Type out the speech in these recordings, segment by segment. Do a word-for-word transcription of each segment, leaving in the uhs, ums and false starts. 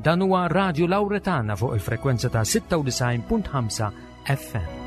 Dan huwa Radio Lauretana fuq il-frekwenza ta' sitta u disgħin punt ħamsa F M.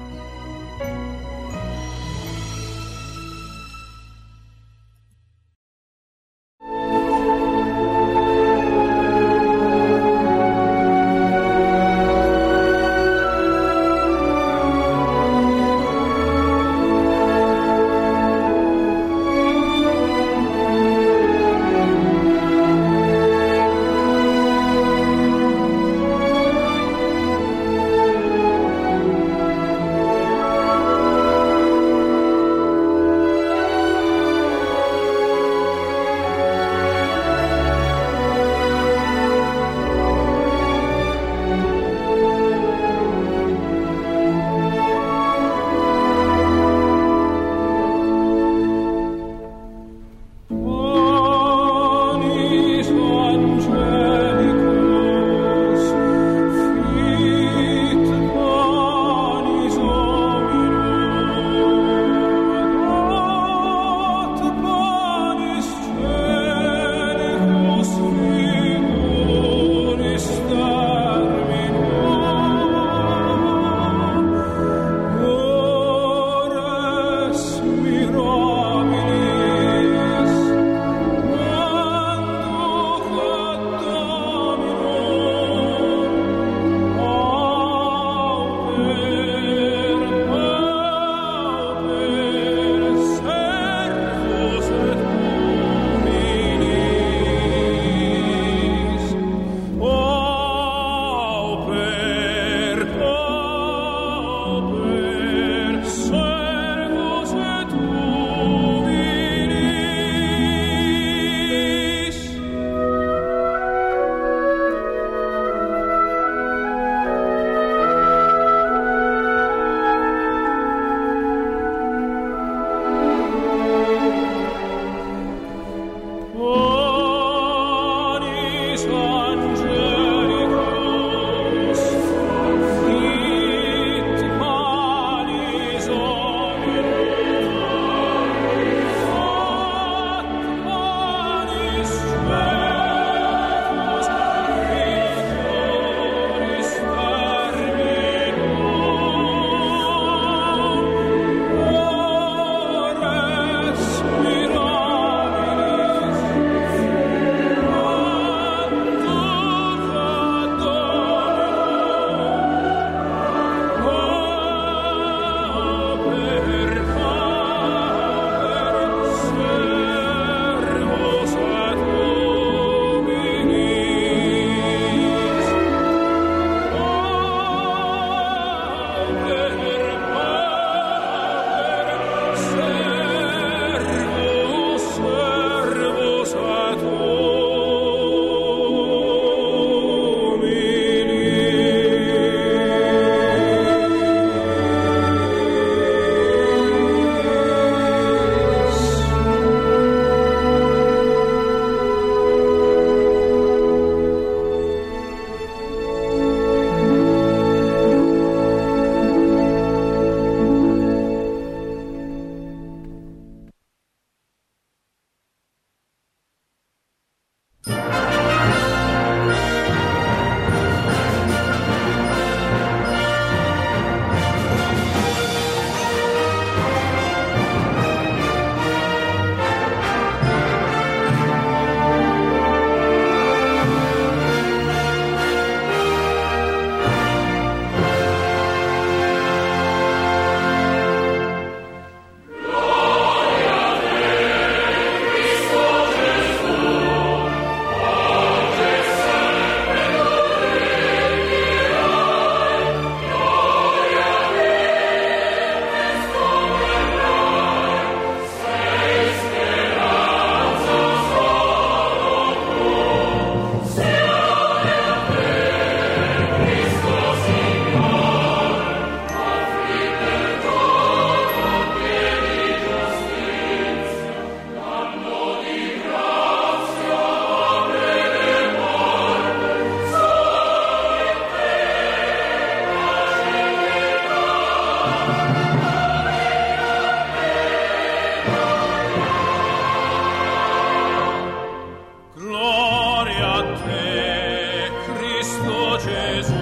Gesù,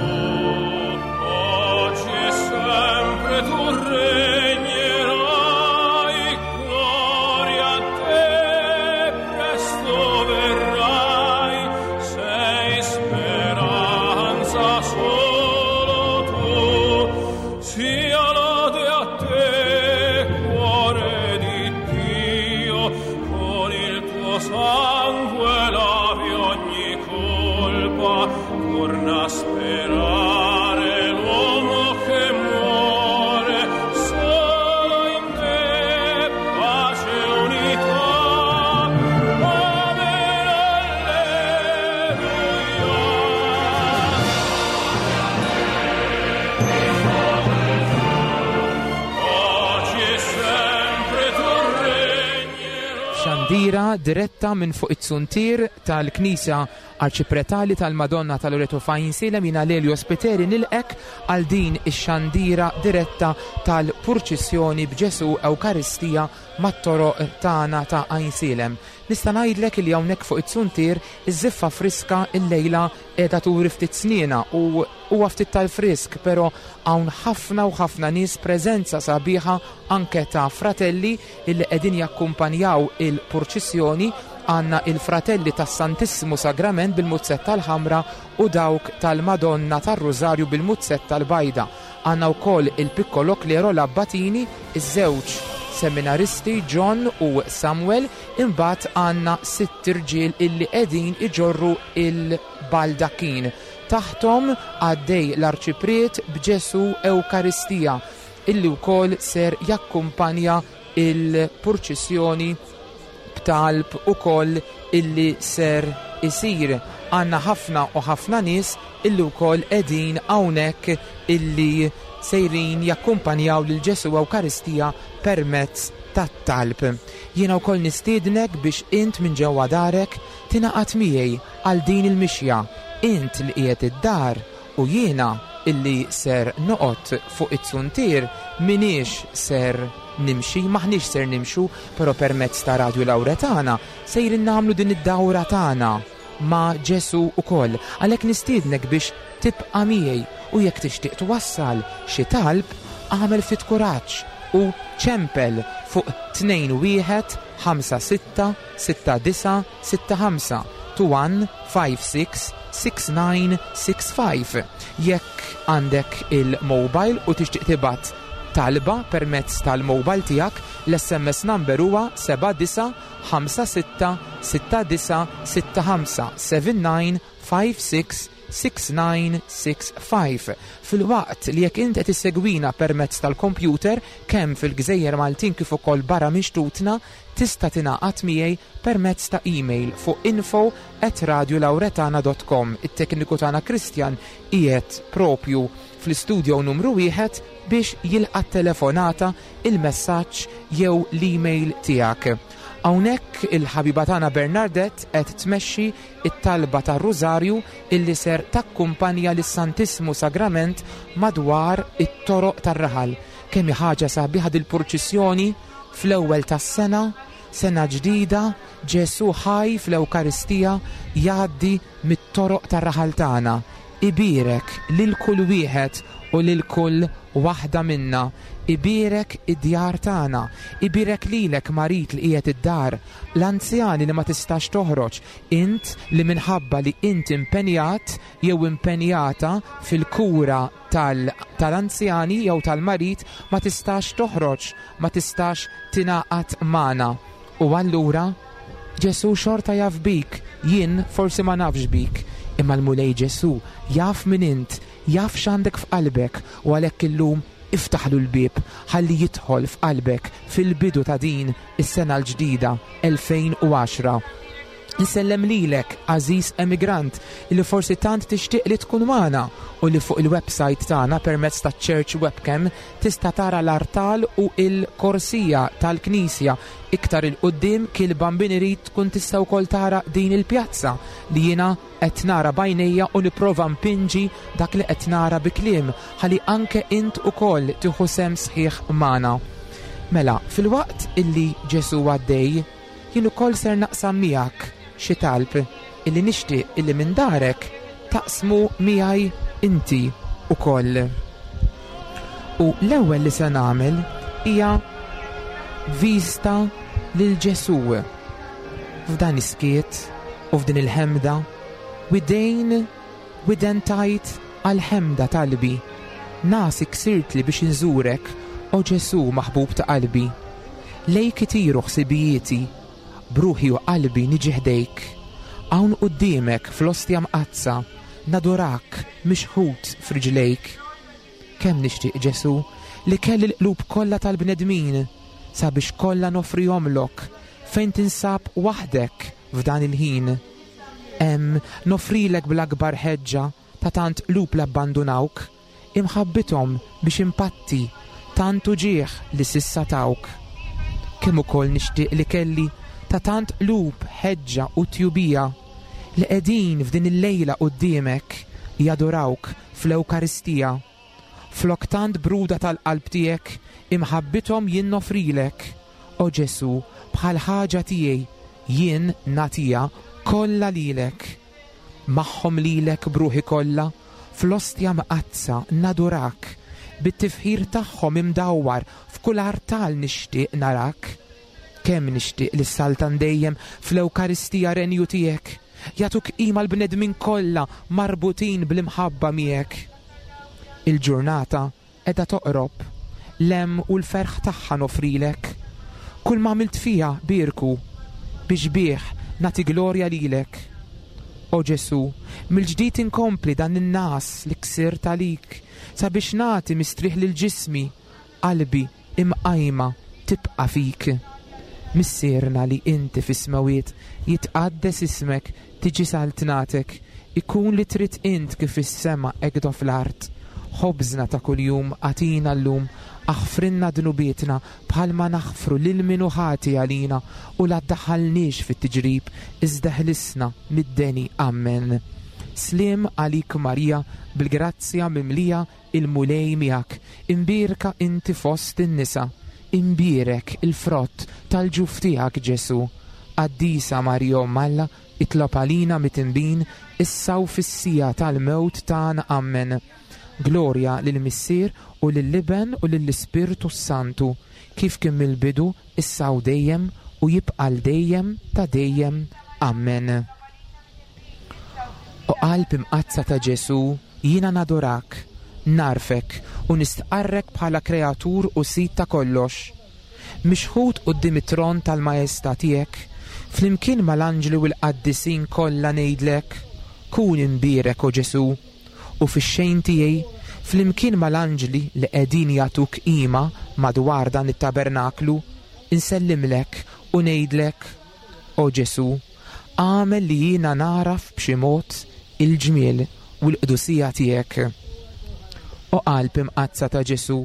oggi e sempre tu regnerai, gloria a te, presto verrai, sei speranza solo tu, sia lode a te, cuore di Dio, con il tuo sangue lavi ogni colpa, torna a sperare l'uomo che muore, solo in te pace e unità. Amen, alleluia. Oggi e sempre tu regnerai. Xandira diretta minn fuq it-suntier tal-Knisja Arċipretali tal-Madonna tal-Loreto f'Għajnsielem. Jiena Lelio Spiteri nilqgħek għal din ix-xandira diretta tal-purċissjoni b'Ġesu Ewkaristija mat-toroq tagħna ta' Għajnsielem. Nista' ngħidlek li hawnhekk fuq it-suntier iż-żiffa friska illejla qiegħda turi ftit sniena u huwa ftit tal-frisk, però hawn ħafna u ħafna nies, preżenza sabiħa anke ta' fratelli illi qegħdin jakkumpanjaw il-purċissjoni. Għandna il-fratelli tas-Santissimo Sagrament bil-muzzetta l-ħamra u dawk tal-Madonna tar-Rużarju bil-muzzetta l-bajda. Għandna wkoll il-Piccolo Clero, l-Abbatini, iż-żewġ seminaristi John u Samuel, imbagħad għandna sitt irġiel illi qegħdin iġorru il-baldakin. Taħtom għaddej l-Arċipriet b'Ġesu Ewkaristija illi wkoll ser jakkumpanja il-purċissjoni b'talb ukoll illi ser isir. Għandna ħafna u ħafna nies illi wkoll qegħdin hawnhekk illi sejrin jakkumpanjaw lil Ġesu Ewkaristija permezz tat-talb. Jiena wkoll nistiednek biex int minn ġewwa darek tingħaqad miegħi għal din il-mixja. Int li qiegħed id-dar u jiena illi ser noqgħod fuq it-suntier m'iniex ser nimxi, maħniex ser nimxu, però permezz ta' Radio Lauretana sejrin nagħmlu din id-dawra tagħna ma' Ġesu ukoll. Għalhekk nistiednek biex tibqa' miegħi u jekk tixtieq twassal xi talb, agħmel ftit kuraġġ u ċempel fuq tnejn wieħed ħamsa sitta sitta disa sitta ħamsa, two one five six six nine six five. Jekk għandek il-mobile u tixtieq tibgħat talba permezz tal-mobile tiegħek, l-S M S number huwa seba' disa ħamsa sitta sitta disa sitta ħamsa, seven nine five six six nine six five. Filwaqt li jekk int qed issegwina permezz tal-kompjuter kemm fil-Gżejjer Maltin kif ukoll barra minn xtutna, tista' tingħaqad miegħi permezz ta' email fuq info at radiolauretana dot com. It-tekniku tagħna Christian qiegħed propju fl-istudio numru wieħed biex jilqa' telefonata, il-messaġġ jew l-email tiegħek. Hawnhekk il-ħabiba tagħna Bernadette qed tmexxi it-talba tar-Rużarju illi ser takkumpanja lis-Santissmu Sagrament madwar it-toroq tar-raħal. Kemm hi ħaġa sabiħa dil-purċissjoni fl-ewwel tas-sena, sena ġdida, Ġesu ħaj fl-Ewkaristija jgħaddi mit-toroq tar-raħal tagħna. Ibierek lil kull wieħed u lil kull waħda minna. Ibierek id-djar tagħna, ibierek lilek marid li qiegħed id-dar, l-anzjani li ma tistax toħroġ, int li minħabba li int impenjat jew impenjata fil-kura tal-, tal-anzjani jew tal-marid ma tistax toħroġ, ma tistax tingħaqad magħna. U allura Ġesu xorta jaf bik, jien forsi ma nafx bik, imma l-Mulej Ġesu jaf min int, jaf x'għandek f'qalbek, u għalhekk illum iftaħlu l-bieb ħalli jidħol f'qalbek fil-bidu ta' din is-sena l-ġdida elfejn u għaxra. Insellem lilek, għażiż emigrant, li forsi tant tixtieq li tkun magħna u li fuq il-website tagħna permezz ta' Church Webcam tista' tara l-artal u l-korsija tal-Knisja. Iktar il-qudiem kil Bambin irid tkun tista' wkoll tara din il-pjazza li jiena qed nara b'għajnejja u nipprova mpinġi dak li qed nara bi kliem ħalli anke int ukoll tieħu sehem sħiħ magħna. Mela, filwaqt illi Ġesu għaddej, jien ukoll ser naqsam miegħek xi talb illi nixtieq illi minn darek taqsmu miegħi inti ukoll. U l-ewwel li se nagħmel hija vista lil Ġesù. F'dan is-skiet u f'din il-ħemda, widejn widen tajt għal-ħemda talbi. Nasi ksirtli biex inżurek, o Ġesù maħbub ta' qalbi. Lejk itiru ħsibijieti, bruħi u qalbi niġi ħdejk. Hawn quddiemek fl-ostja mqaddsa, nadurak mixħut f'riġlejk. Kemm nixtieq Ġesù li kelli l-qlub kollha tal-bnedmin sabiex kollha nofrihomlok fejn tinsab waħdek f'dan il-ħin. Hemm nofrilek bl-akbar ħeġġa ta' tant qlub l-abbandunawk, imħabbithom biex impatti tant uġigħ li s'issa tawk. Kemm ukoll nixtieq li kelli ta' tant qlub ħeġġa u tjubija li qegħdin f'din il-lejla quddiemek jadurawk fl-Ewkaristija. Flok tant bruda tal-qalb tiegħek imħabbithom jien nofrilek. O Ġesù, bħal ħaġa tiegħi jien nagħtiha kollha lilek. Magħhom lilek bruħi kollha, fl-ostja mqaddsa nadurak, bit-tifħir tagħhom imdawwar f'kull artal nixtieq narak. Kemm nixtieq li s-saltan dejjem fl-Ewkaristija renju tiegħek, jagħtuk qima l-bnedmin kollha marbutin bl-imħabba miegħek. Il-ġurnata qiegħda toqrob, l-hemm u l-ferħ tagħha nofrilek. Kull ma għamilt fiha bierku, biex bih nagħti glorja lilek. O Ġesù, mill-ġdid inkompli dan in-nas li ksirt għalik, sabiex nagħti mistrieħ lil ġismi, qalbi imqajma tibqa' fik. Missierna li inti fis-smawiet, jitqaddes ismek, tiġi saltnatek, ikun li trid int kif is-sema hekk fl-art. Ħobżna ta' kuljum agħtina llum, aħfrinna dnubietna bħalma naħfru lil min hu ħati għalina, u la ddaħħalniex fit-tiġrib, iżda ħlisna mid-deni. Amen. Sliem għalik Marija, bil-grazzja mimlija il-Mulej miegħek, imbierka inti fost in-nisa, imbierek il-frott tal-ġuf tiegħek Ġesù. Qaddisa Marija Omm Alla, itlob għalina midinbin, issa u fis-siegħa tal-mewt tagħna. Amen. Glorja lill-Missier u lill-Iben u lill-Ispirtu Santu, kif kien mill-bidu, issa u dejjem, u jibqa' l dejjem ta' dejjem. Amen. O qalb imqaddsa ta' Ġesù, jiena nadurak, narfek u nistqarrek bħala kreatur u sid ta' kollox. Mixħut quddiem it-tron tal-Maestà tiegħek, flimkien mal-anġli u l-qaddisin kollha ngħidlek, kun imbierek o Ġesù, u fix-xejn tiegħi, flimkien mal-anġli li qegħdin jagħtuk qima madwar dan it-tabernaklu, insellimlek u ngħidlek, o Ġesù, għamel li jiena naraf b'xi mod il-ġmiel u l-qdusija tiegħek. O qalb imqaddsa ta' Ġesù,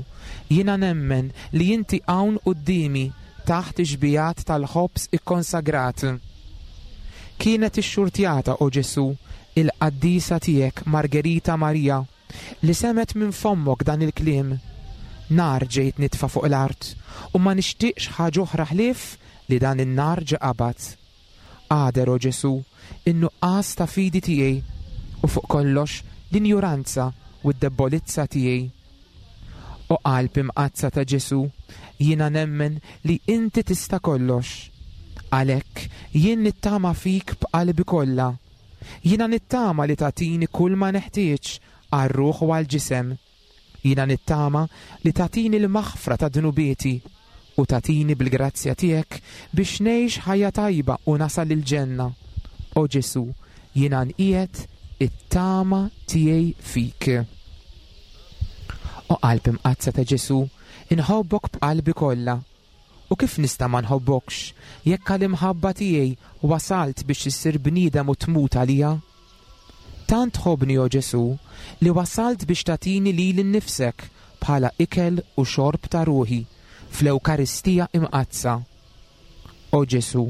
jiena nemmen li inti hawn quddiemi taħt ix-xbijat tal-ħobż ikkonsagrat. Kienet ixxurtjata, o Ġesù, il-qaddisa tiegħek Margherita Maria, li semet minn fommok dan il-kliem. Nar ġejt nitfa' fuq l-art u ma nixtieqx ħaġa oħra ħlief li dan in-nar ġa qabad. Għader, o Ġesù, in-nuqqas ta' fidi tiegħi u fuq kollox l-injuranza u d-debolizza tiegħi. O qalb imqaddsa ta' Ġesù, jiena nemmen li inti tista' kollox. Għalhekk jien nittama fik b'qalbi kollha. Jiena nittama li tagħtini kull ma neħtieġ għar-ruħ u għall-ġisem. Jiena nittama li tagħtini l-maħfra ta' dnubieti u tagħtini bil-grazzja tiegħek biex ngħix ħajja tajba u nasal il-ġenna. O Ġesù, jiena nqiegħed it-tama tiegħi fik. O qalb imqaddsa ta' Ġesù, inħobbok b'qalbi kollha. U kif nista' ma nħobbokx jekk għall-imħabba tiegħi wasalt biex issir bniedem u tmut għalija? Tant tħobbni, o Ġesù, li wasalt biex tagħtini lili nnifsek bħala ikel u xorb ta' ruħi fl-Ewkaristija imqaddsa. O Ġesù,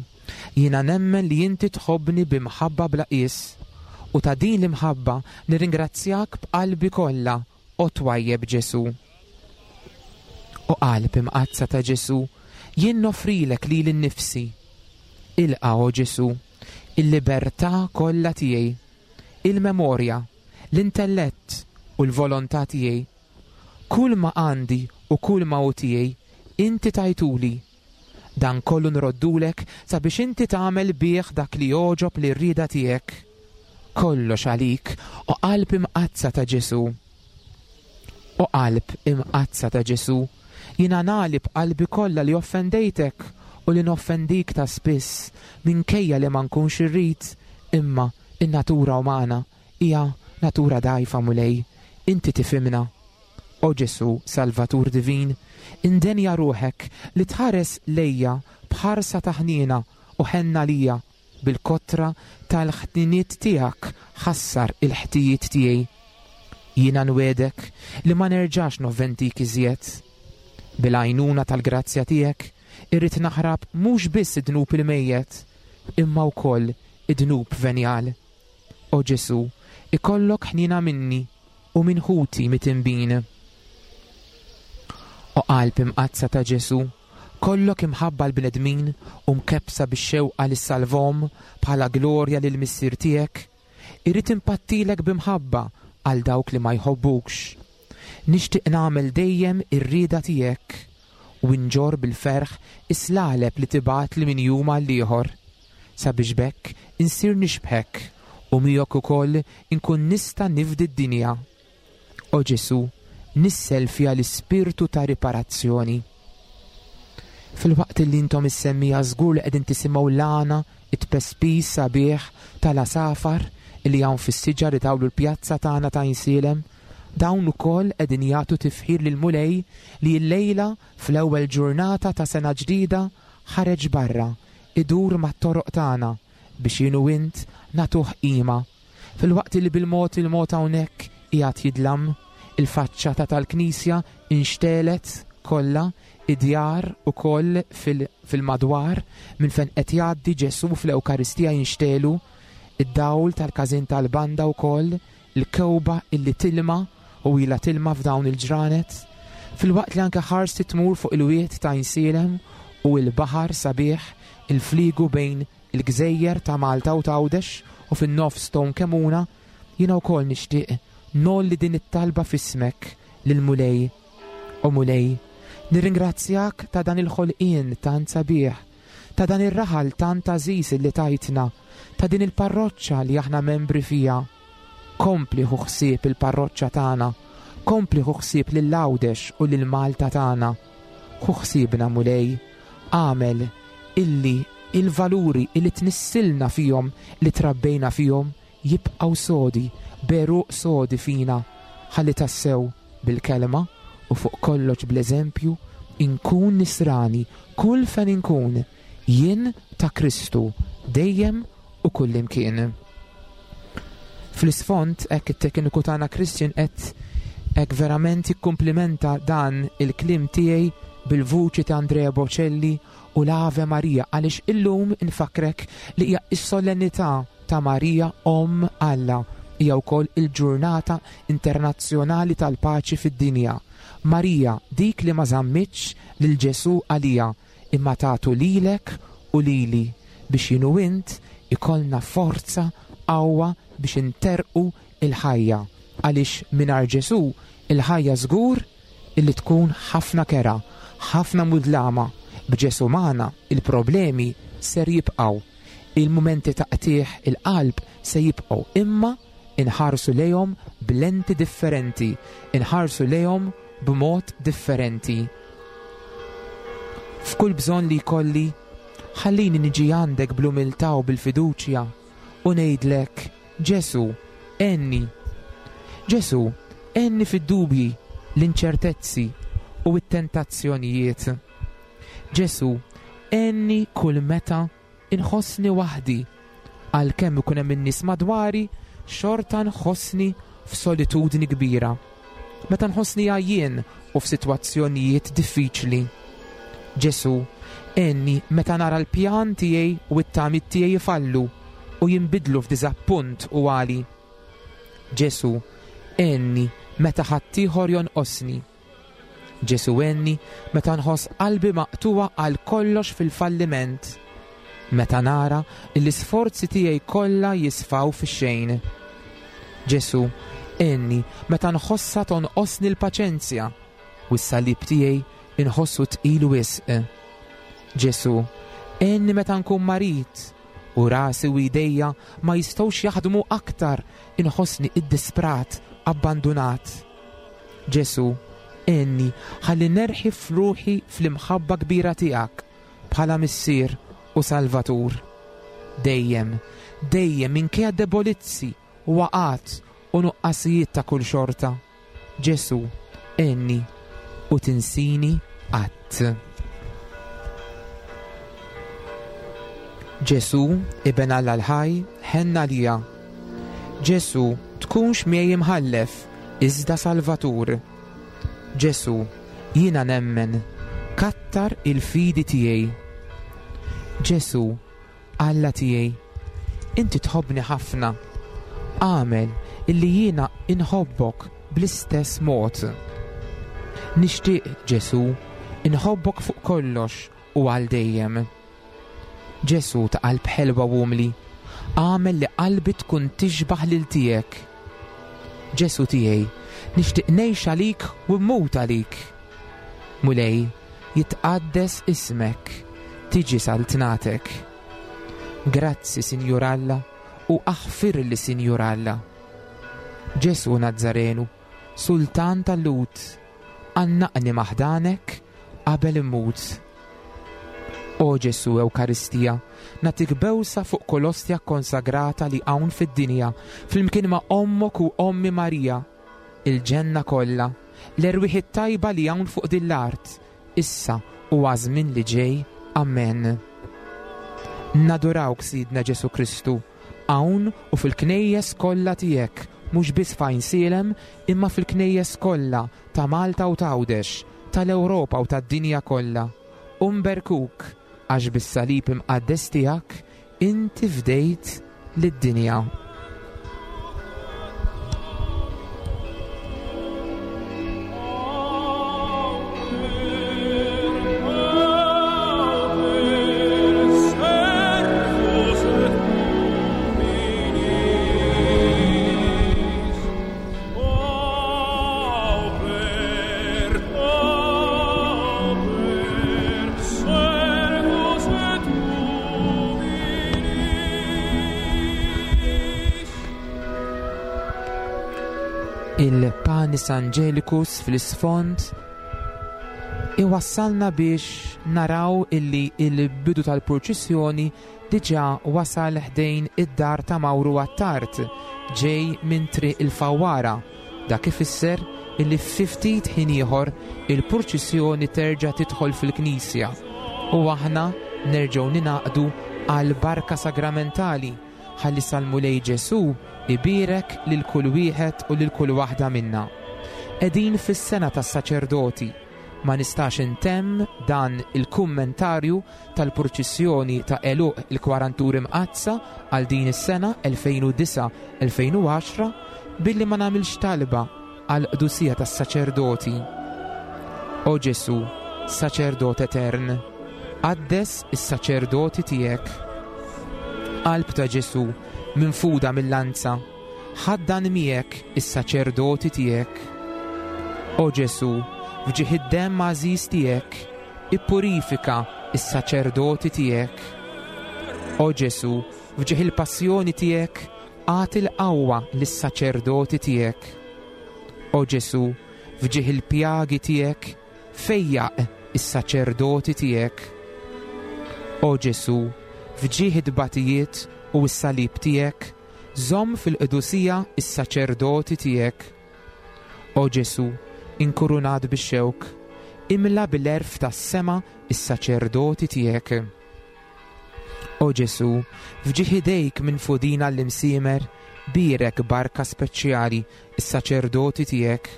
jiena nemmen li inti tħobbni b'imħabba bla qies, u ta' din l-imħabba nirringrazzjak b'qalbi kollha, o twajjeb Ġesù. O qalb imqaddsa ta' Ġesù, jien nofrilek lili nnifsi. Ilqa', o Ġesù, il-libertà kollha tiegħi. il-memorja, l-intellett u l-volontà tiegħi. Kull ma għandi u kull ma hu tiegħi, inti tajtuli. Dan kollu nroddulek sabiex inti tagħmel bih dak li jogħġob lir-rieda tiegħek. Kollox għalik, o qalb imqaddsa ta' Ġesù. O qalb imqaddsa ta' Ġesù, jiena nagħli b'qalbi kollha li offendejtek u li noffendik ta' spiss, minkejja li ma nkunx irrid, imma in-natura umana hija natura dgħajfa, Mulej, inti tifhimna. O Ġesù, Salvatur Divin, indenja ruħek li tħares lejja b'ħarsa ta' ħniena u ħenna lija, bil-kotra tal-ħtiniet tiegħek ħassar il-ħtijiet tiegħi. Jiena nwedek li ma nerġax novventik iżjed. Bil-għajnuna tal-grazzja tiegħek irrid naħrab mhux biss id-dnub il-mejjet, imma wkoll id-dnub venjal. O Ġesù, ikollok ħniena minni u minn ħuti mitinbin. O qalb imqaddsa ta' Ġesù, kollok imħabba l-bnedmin u mkebbsa bix-xewqa li ssalvhom bħala glorja lil missier tiegħek, irrid impattilek b'imħabba għal dawk li ma jħobbukx. Nixtieq nagħmel dejjem ir-rieda tiegħek u nġorr bil-ferħ is-slaleb li tibgħat li minn jum għal ieħor, sabiex b'hekk insir nixbħek u miegħek ukoll inkun nista' nifdi d-dinja. O Ġesù, nissel fija l-ispirtu ta' riparazzjoni. Fil-waqt li intom is-semmija żgur li qegħdin tisimgħu l-għana it-pespis sabiħ tal-asafar li hawn fis-siġar li tawlu l-pjazza tagħna ta' Għajnsielem, dawn ukoll qegħdin jagħtu tifħir lil Mulej li llejla fl-ewwel ġurnata ta' sena ġdida ħareġ barra idur mat-toroq tagħna biex jien u int nagħtuh qima. Fil-waqt li bil-mod il-mod hawnhekk qiegħed jidlam, il-faċċata tal-knisja inxtelet kollha, id-djar ukoll fil-, fil-madwar minn fejn qed jgħaddi Ġesù fl-Ewkaristija jinxtelu, id-dawl tal-każin tal-banda wkoll, il-kewba illi tilma u ilha tilma f'dawn il-ġranet, fil-waqt li anke ħarsi tmur fuq il-wied ta' Għajnsielem u l-baħar sabiħ, il-fliegu bejn il-gżejjer ta' Malta u Għawdex u fin-nofs Stone Kemuna, jiena wkoll nixtieq nolli din it-talba f'ismek lil Mulej. O Mulej, nirringrazzjak ta' dan il-ħolqien tant sabiħ, ta' dan ir-raħal tant għażiż li tajtna, ta' din il-parroċċa li aħna membri fija. Kompli ħu ħsieb il-parroċċa tagħna, kompli ħu ħsieb lil Għawdex u lil Malta tagħna. Ħu ħsiebna Mulej, għamel illi il-valuri illi tnissilna fihom, li trabbejna fihom, jibqgħu sodi, beruq sodi fina, ħalli tassew bil-kelma u fuq kollox bl-eżempju inkun nisrani kull fejn inkun, jien ta' Kristu dejjem u kullimkien. Fl-isfond hekk it-tekniku tagħna Christian qed hekk verament jikkumplimenta dan il-kliem tiegħi bil-vuċi ta' Andrea Bocelli u l-Ave Maria, għaliex illum infakrek li hija s-solennità ta' Marija Omm Alla, hija wkoll il-ġurnata internazzjonali tal-paċi fid-dinja. Marija, dik li ma żammitx lil Ġesù għalija, imma tagħtu lilek u lili biex jien u int ikollna forza qawwa biex interqu il-ħajja, għaliex mingħajr Ġesù il-ħajja żgur illi tkun ħafna kera, ħafna mudlama. B'Ġesù magħna il-problemi ser jibqgħu, il-mumenti ta' qtigħ il-qalb se jibqgħu, imma inħarsu lejhom b'lenti differenti, inħarsu lejhom b'mod differenti. F'kull bżonn li jkolli, ħallini niġi għandek bl-umiltà u bil-fiduċja u ngħidlek, Ġesù, għenni. Ġesù, għenni fid-dubji, l-inċertezzi u t-tentazzjonijiet. Ġesù, għenni kull meta inħossni waħdi, għalkemm ikun hemm in-nies madwari, xorta nħossni f'solitudni kbira. Meta nħossni għajjien u f'sitwazzjonijiet diffiċli. Ġesù, għenni meta nara l-pjan tiegħi u t-tamiet tiegħi jfallu u jinbidlu f'diżappunt u għali. Ġesù, għenni meta ħaddieħor jonqosni. Ġesù, għenni meta nħoss qalbi maqtuwa għal kollox fil-falliment, meta nara li l-isforzi tiegħi kollha jisfaw fix-xejn. Ġesù, għenni meta nħossha tonqosni l-paċenzja u s-salib tiegħi inħossu tqil wisq. Ġesù, għenni meta nkun marid u rasi u idejja ma jistgħux jaħdmu aktar, inħossni iddisprat, abbandunat. Ġesù, għenni ħalli nerħi f'ruħi fl-imħabba kbira tiegħek bħala Missier u Salvatur. Dejjem, dejjem minkejja debolizzi, waqgħat u nuqqasijiet ta' kull xorta. Ġesù, għenni u tinsini qatt. Ġesù, Iben Alla l-ħaj, ħenn għalija. Ġesù, tkunx miegħi imħallef, iżda Salvatur. Ġesù, jiena nemmen, kattar il-fidi tiegħi. Ġesù, Alla tiegħi, inti tħobbni ħafna. Agħmel illi jiena inħobbok bl-istess mod. Nixtieq, Ġesù, inħobbok fuq kollox u għal dejjem. Ġesù ta' qalb ħelwa u umli, agħmel li qalbi tkun tixbaħ lil tiegħek. Ġesù tiegħi, nixtieq ngħix għalik u mmut għalik. Mulej, jitqaddes ismek, tiġi saltnatek. Grazzi, Sinjur Alla, u aħfirli, Sinjur Alla. Ġesù Nazzarenu, Sultan tal-Lhud, għannaqni maħdanek qabel immut. O Ġesù Ewkaristija, nagħtik bewsa fuq kull ostja konsagrata li hawn fid-dinja, flimkien ma' ommok u ommi Marija, il-ġenna kollha, l-erwieħ it-tajba li hawn fuq din l-art, issa u għaż-żmien li ġej. Amen. Nadurawk, Sidna Ġesù Kristu, hawn u fil-knejjes kollha tiegħek, mhux biss f'Għajnsielem, imma fil-knejjes kollha ta' Malta u ta' Għawdex, tal-Ewropa u tad-dinja kollha. U nberkuk għax bis-salib imqaddes tiegħek inti fdejt lid-dinja. Il-Panis Angelicus fl-isfond iwassalna biex naraw illi il-bidu tal-purċissjoni diġà wasal ħdejn id-dar ta' Mawru Attard, ġej minn Triq il-Fawwara. Dak ifisser illi ftit ħin ieħor il-purċissjoni terġa' tidħol fil-knisja u aħna nerġgħu ninaqdu għal barka sagramentali ħalli sal-Mulej Ġesù ibierek lil kull wieħed u lil kull waħda minna. Qegħdin fis-sena tas-saċerdoti. Ma nistax intemm dan il-kummentarju tal-purċissjoni ta' għeluq il-Kwaranturi Mqaddsa għal din is-sena elfejn u disa' elfejn u għaxra billi ma nagħmilx talba għal qdusija tas-saċerdoti. O Ġesù, saċerdot etern, qaddes is-saċerdoti tiegħek. Qalb ta' Ġesù, minfuda mill-lanza, ħaddan miegħek is-saċerdoti tiegħek. O Ġesù, f'ġieħ id-demm għażiż tiegħek, ippurifika is-saċerdoti tiegħek. O Ġesù, f'ġieħ il-passjoni tiegħek, agħti l-qawwa lis-saċerdoti tiegħek. O Ġesù, f'ġieħ il-pjagi tiegħek, fejjaq is-saċerdoti tiegħek. O Ġesù, f'ġieħ id-batijiet u s-salib tiegħek, żomm fil-qdusija is-saċerdoti tiegħek. O Ġesù, inkurunat bix-xewk, imla bil-għerf tas-sema is-saċerdoti tiegħek. O Ġesù, f'ġieħ idejk minfudin għall-imsiemer, bierek barka speċjali is-saċerdoti tiegħek.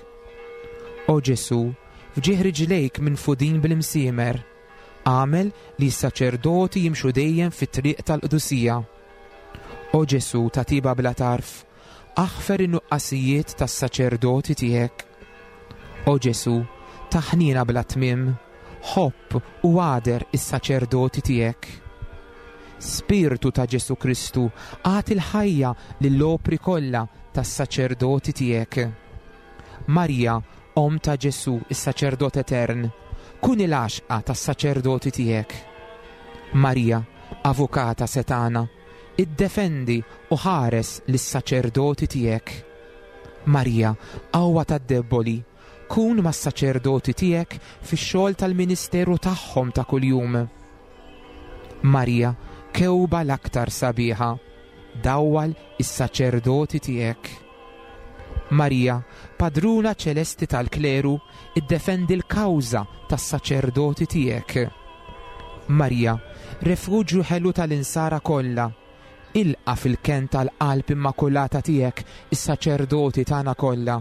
O Ġesù, f'ġieħ riġlejk minfudin bil-imsiemer, għamel li s-saċerdoti jimxu dejjem fit-triq tal-qdusija. O Ġesù ta' tiba bla tarf, aħfer in-nuqqasijiet tas-saċerdoti tiegħek. O Ġesù ta' ħniena bla tmiem, ħobb u għader is-saċerdoti tiegħek. Spirtu ta' Ġesù Kristu, agħti l-ħajja lill-opri kollha tas-saċerdoti tiegħek. Marija, Omm ta' Ġesù, is-saċerdot etern, kun il-għaxqa tas-saċerdoti tiegħek. Marija, avukata setana, iddefendi u ħares lis-saċerdoti tiegħek. Marija, qawwa tad-debboli, kun mas-saċerdoti tiegħek fix-xogħol tal-ministeru tagħhom ta' kuljum. Marija, kewba l-aktar sabiħa, dawwal is-saċerdoti tiegħek. Marija, padruna ċelesti tal-kleru, iddefendi l-kawża tas-saċerdoti tiegħek. Marija, refuġju ħelu tal-insara kollha, ilqa fil-kenn tal-qalb immakulata tiegħek is-saċerdoti tagħna kollha.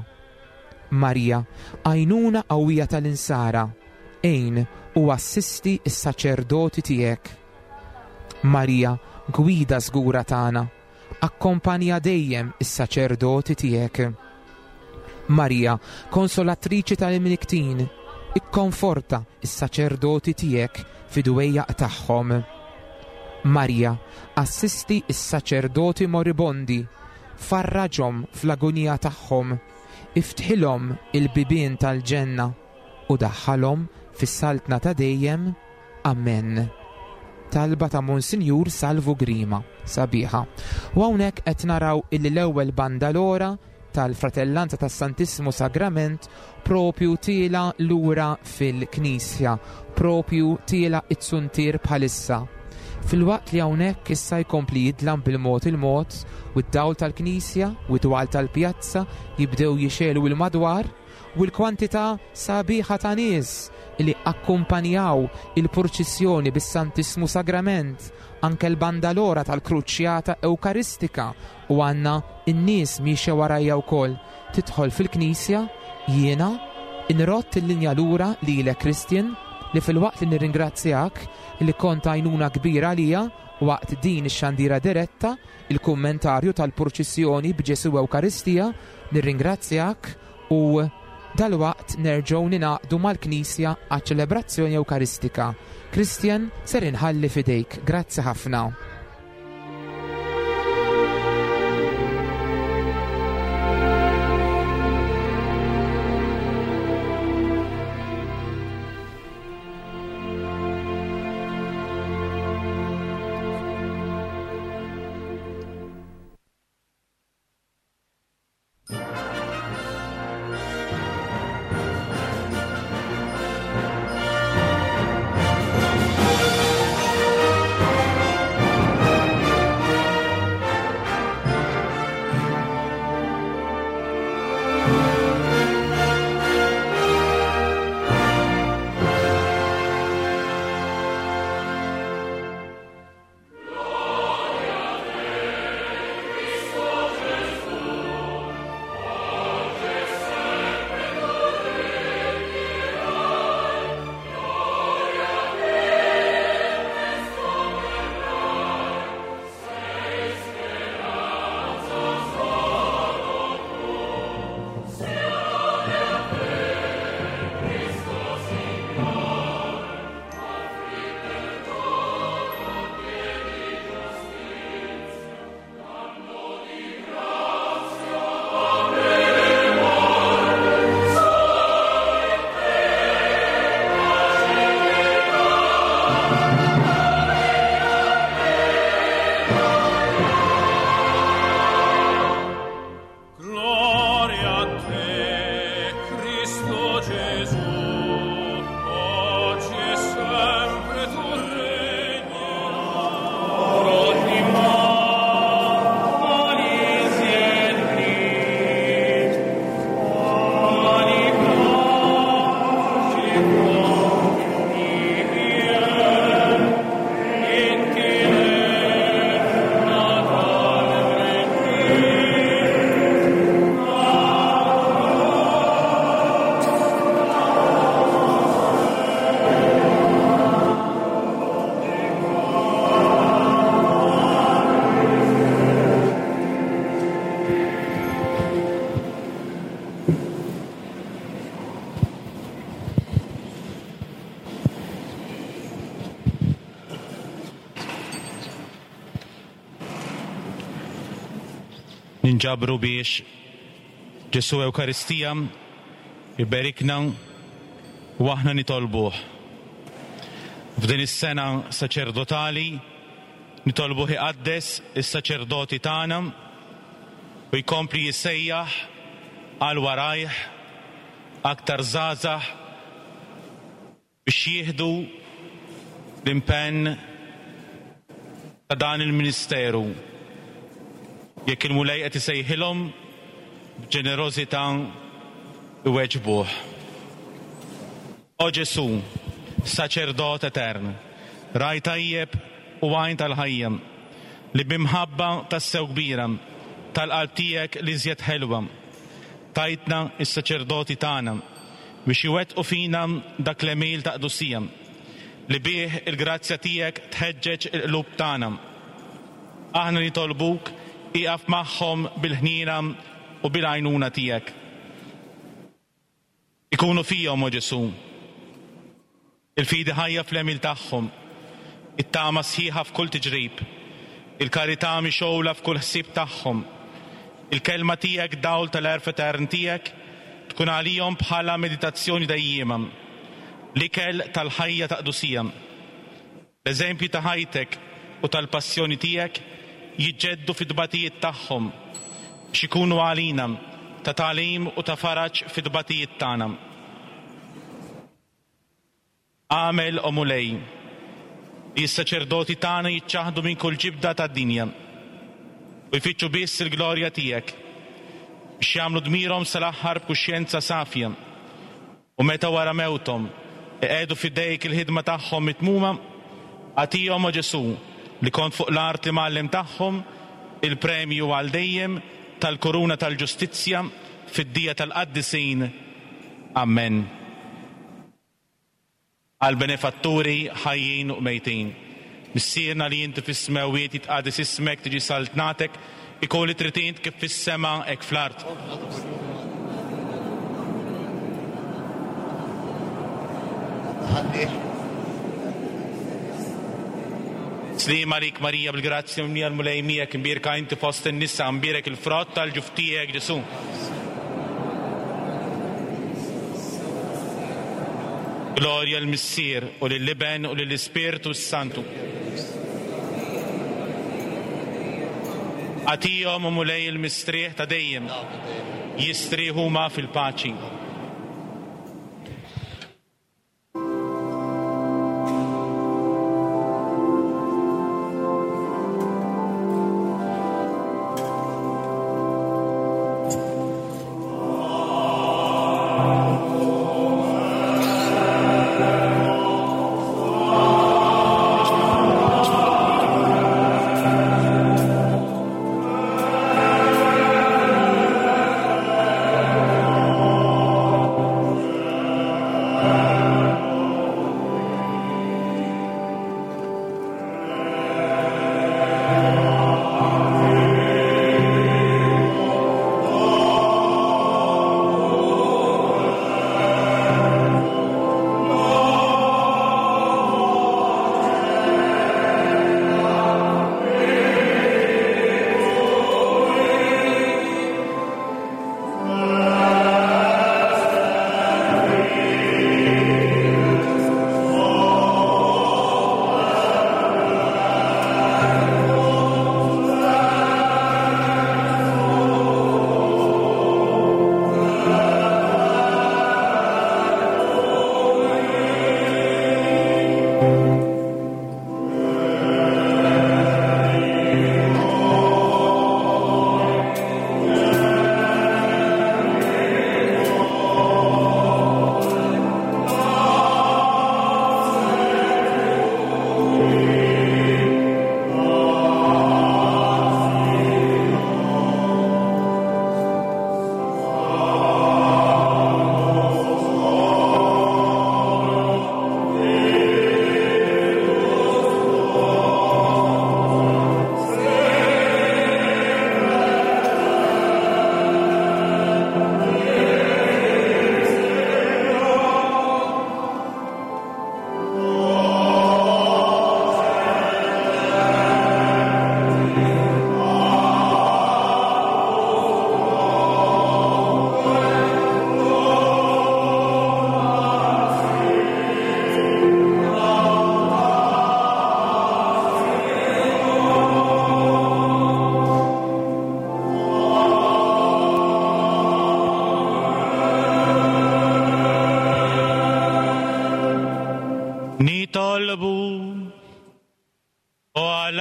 Marija, għajnuna qawwija tal-insara, għin u assisti s-saċerdoti tiegħek. Marija, gwida żgura tagħna, akkompanja dejjem is-saċerdoti tiegħek. Marija, konsolatriċi tal-imniktin, ikkonforta s-saċerdoti tiegħek fid-dwejjaq tagħhom. Marija, assisti s-saċerdoti moribondi, farraġhom fl-agonija tagħhom, iftħilhom il-bibien tal-ġenna u daħħalhom fis-saltna ta' dejjem. Amen. Talba ta' Monsinjur Salvu Grima, sabiħa. U hawnhekk qed naraw illi l-ewwel bandalora tal-Fratellanza tas-Santissimo Sagrament propju tiela lura fil-Knisja, propju tiela it-suntier bħalissa. Fil-waqt li hawnhekk issa jkompli jidlam bil-mod il-mod u d-dawl tal-Knisja u d-dwal tal-pjazza jibdew jixelu il-madwar u l-kwantità sabiħa ta' nies li akkumpanjaw il-purċissjoni bis-Santissmu Sagrament, anke l-bandalora tal-Kruċjata Ewkaristika, u għandna n-nies miexja warajja wkoll. Tidħol fil-Knisja, jiena inrott il-linja lura lilek Christian, li fil-waqt li nirringrazzjak li kont għajnuna kbira għalija waqt din ix-xandira diretta, il-kummentarju tal-purċissjoni b'Ġesù Ewkaristija, nirringrazzjak u dalwaqt nerġgħu ninaqdu mal-Knisja għaċ-ċelebrazzjoni Ewkaristika. Christian, ser inħalli fidejk. Grazzi ħafna. Ninġabru biex Ġesù Ewkaristija iberikna u aħna nitolbuh. F'din is-sena saċerdotali nitolbuh iqaddes is-saċerdoti tagħna u jkompli jissejjaħ għal warajh aktar żgħażagħ biex jieħdu l-impenn ta' dan il-ministeru. Jekk il-Mulej qed isejħilhom b'ġenerożità iweġbuh. O Ġesù, saċerdot etern, raj tajjeb u għajn tal-ħajja, li b'imħabba tassew kbira tal-qalb tiegħek li żjed ħelwa, tajtna is-saċerdoti tagħna biex iwettqu fina dak l-għemil ta' qdusija, li bih il-grazzja tiegħek tħeġġeġ il-qlub tagħna. Aħna nitolbuk ieqaf magħhom bil-ħniena u bil-għajnuna tiegħek. Ikunu fihom, o Ġesù, il-fidi ħajja fl-għemil tagħhom, it-tama sħiħa f'kull tiġrib, il-karità mixgħula f'kull ħsieb tagħhom, il-kelma tiegħek dawl tal-għerf etern tiegħek tkun għalihom bħala meditazzjoni dejjiema, l-ikel tal-ħajja ta' qdusija. L-eżempju ta' ħajtek u tal-passjoni tiegħek jiġġeddu fid-tbatijiet tagħhom biex ikunu għalina ta' tagħlim u ta' faraġ fid-tbatijiet tagħna. Għamel, o Mulej, li s-saċerdoti tagħna jiċċaħdu minn kull ġibda tad-dinja u jfittxu biss il-glorja tiegħek biex jagħmlu dmirhom sal-aħħar b'kuxjenza safja u meta wara mewthom iqiegħdu f'idejk il-ħidma tagħhom mitmuma, agħtihom, o Ġesù, li kont fuq l-art li mgħallem tagħhom, il-premju għal dejjem tal-kuruna tal-ġustizzja fid-dija tal-qaddisin. Amen. Għal benefatturi ħajjin u mejtin. Missierna li inti fis-smewwiet jitqades ismek, tiġi saltnatek, ikun li trid int kif fis-sema hekk fl-art. Slim għalik Marija bil-grazzja mimlija l-Mulej miegħek, imbierka inti fost in-nisa, imbierek il-frott tal-ġuf tiegħek Ġesù. Glorja l-Missier u lill-Iben u lill-Ispirtu s-Santu. Agħtihom, o Mulej, il-mistrieħ ta' dejjem, jistrieħu huma fil-paċi.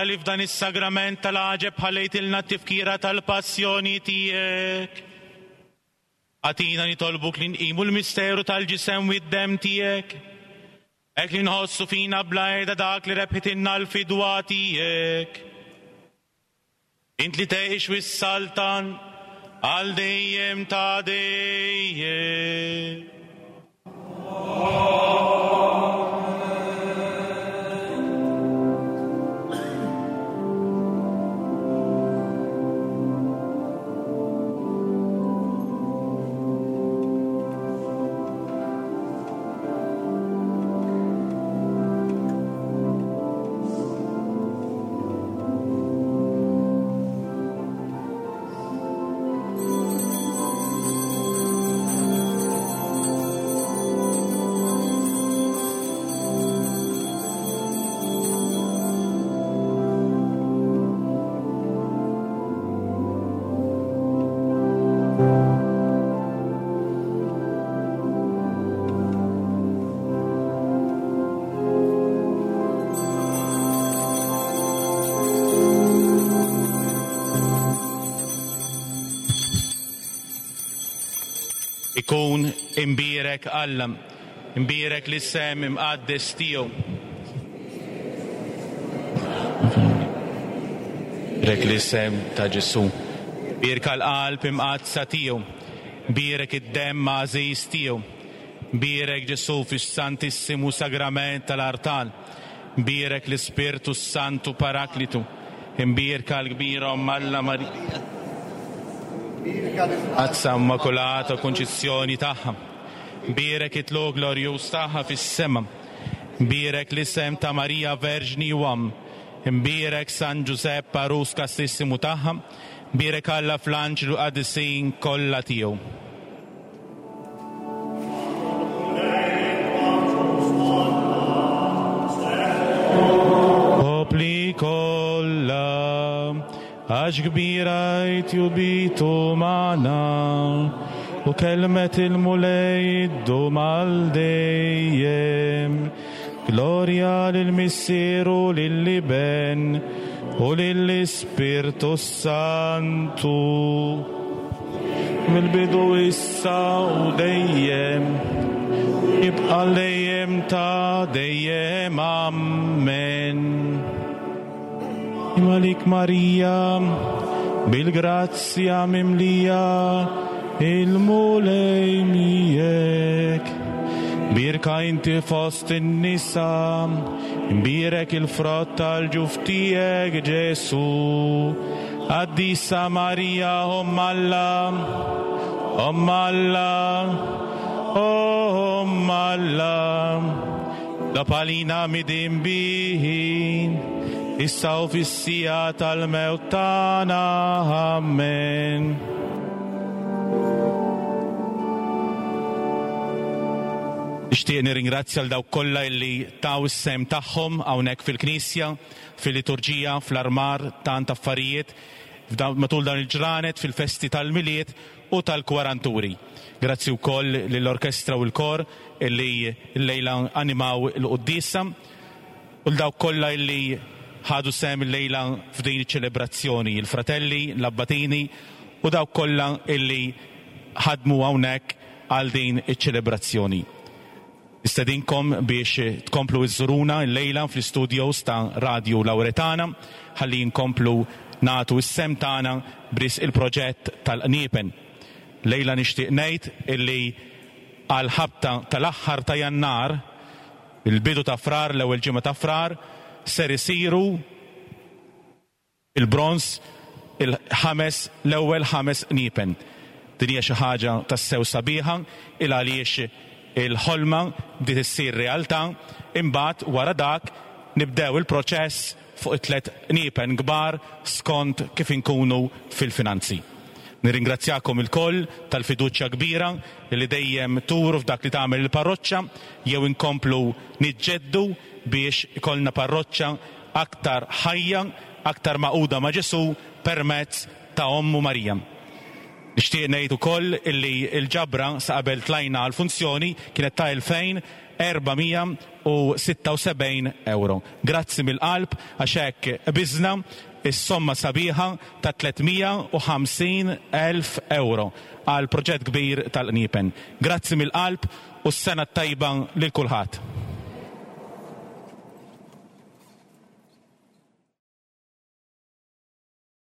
li f'dan is-sagrament tal-għaġeb ħallejtilna t-tifkira tal-passjoni tiegħek. Agħtina nitolbuk li nqimu l-misteru tal-ġisem u d-demm tiegħek, hekk li nħossu fina bla qiegħda dak li rebħitilna l-fidwa tiegħek. Int li tgħix u s-saltan għal dejjem ta' dejjem. Ikun imbierek Alla, imbierek l-isem imqaddes tiegħu. Bierek l-isem ta' Ġesù. Bierka l-qalb imqaddsa tiegħu. Bierek id-demm għażiż tiegħu. Bierek Ġesù fis-Santissimu Sagrament tal-Artal. Bierek l-Ispirtu Santu Paraklitu. Imbierka l-kbira Omm Alla Marija. Qadsa Immakulata Konċizzjoni tagħha. Bierek it-tluq glorjuż tagħha fis-sema. Bierek l-isem ta' Marija Verġni u Omm. Imbierek San Ġusepp Għarus Kastissimu tagħha. Bierek Alla fl-anġlu qadisin kollha tiegħu. Popli kollha, għax kbira jtjubitu magħna, u kelmet il-Mulej iddum għal dejjem. Glorja lill-Missier u lill-Iben u lill-Ispirtu Santu, mill-bidu issa u dejjem, jibqa' dejjem ta' dejjem. Amen. Malik Marija, bil-grazzja mimlija, il-Mulej miegħek. Birka inti fost in-nisa, imbierek il-frott tal-ġuf tiegħek Ġesù. Qaddisa Marija, Omm Alla, Omm Alla, Omm Alla, Dapalina midinbihin, issa u fis-siegħa tal-mewt tagħna. Amen. Nixtieq nirringrazzja l dawk kollha illi taw is-sehem tagħhom hawnhekk fil-Knisja, fil-liturġija, fl-armar, tant affarijiet matul dan il-ġranet, fil-festi tal-Milied u tal-Kwaranturi. Grazzi wkoll lill-orkestra u l-kor illi llejla animaw il-quddiesa u l dawk kollha illi ħadu sehem illejla f'din iċ-ċelebrazzjoni, il-fratelli, l-abbatini u dawk kollha illi ħadmu hawnhekk għal din iċ-ċelebrazzjoni. Nistedinkom biex tkomplu iżżuruna llejla fl-istudios ta' Radio Lauretana ħalli nkomplu nagħtu s-sem tagħna bris il-proġett tal-Qniepen. Lejla nixtieq ngħid illi għal ħabta tal-aħħar ta' Jannar, il-bidu ta' Frar, l-ewwel ġimgħa ta' Frar, ser isiru il-bronż il-ħames, l-ewwel ħames qniepen. Din hija xi ħaġa tassew sabiħa il għaliex il-ħolma bdiet issir realtà, imbagħad wara dak nibdew il-proċess fuq it-tliet qniepen kbar skont kif inkunu fil-finanzi. Nirringrazzjakom ilkoll tal-fiduċja kbira li dejjem turu f'dak li tagħmel il-parroċċa, jew inkomplu niġġeddu biex ikollna parroċċa aktar ħajja, aktar maquda ma' Ġesù permezz ta' Ommu Marija. Nixtieq ngħid ukoll illi l-ġabra sa qabel tlajna għall-funzjoni kienet ta' elfejn erba' mija u u sitta u sebgħin euro. Grazzi mill-qalb għax hekk biżna is-somma sabiħa ta' tliet mija u ħamsin elf euro għal proġett kbir tal-qniepen. Grazzi mill-qalb u s-sena tajba lil kulħadd.